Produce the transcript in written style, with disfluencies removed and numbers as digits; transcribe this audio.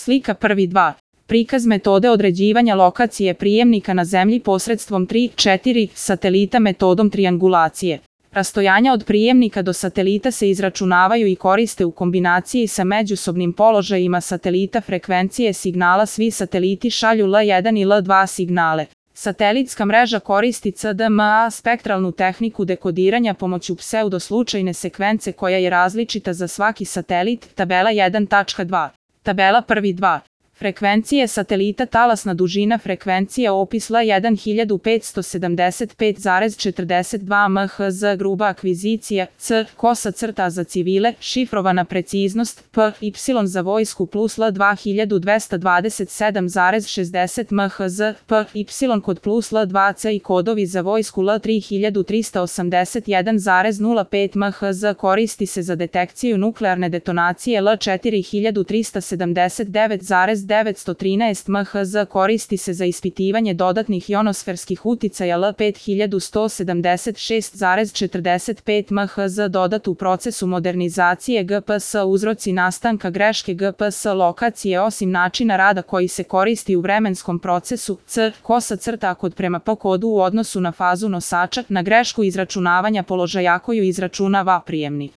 Slika prvi 2. Prikaz metode određivanja lokacije prijemnika na zemlji posredstvom 3-4 satelita metodom triangulacije. Rastojanja od prijemnika do satelita se izračunavaju i koriste u kombinaciji sa međusobnim položajima satelita frekvencije signala. Svi sateliti šalju L1 i L2 signale. Satelitska mreža koristi CDMA spektralnu tehniku dekodiranja pomoću pseudoslučajne sekvence koja je različita za svaki satelit. Tabela 1.2. Tabela prvi 2. Frekvencije satelita. Talasna dužina frekvencije. Opis L1 1575,42 MHz. Gruba akvizicija. C. Kosa crta za civile. Šifrovana preciznost. P. Y za vojsku plus L2 1227,60 MHz. P. Y kod plus L2C i kodovi za vojsku L3 1381,05 MHz. Koristi se za detekciju nuklearne detonacije. L4 1379,913 MHz. Koristi se za ispitivanje dodatnih ionosferskih uticaja. L5 1176,45 MHz. Dodat u procesu modernizacije GPS. Uzroci nastanka greške GPS lokacije. Osim načina rada koji se koristi u vremenskom procesu. C. Kosa crta kod prema P kodu u odnosu na fazu nosača, na grešku izračunavanja položaja koju izračunava prijemnik.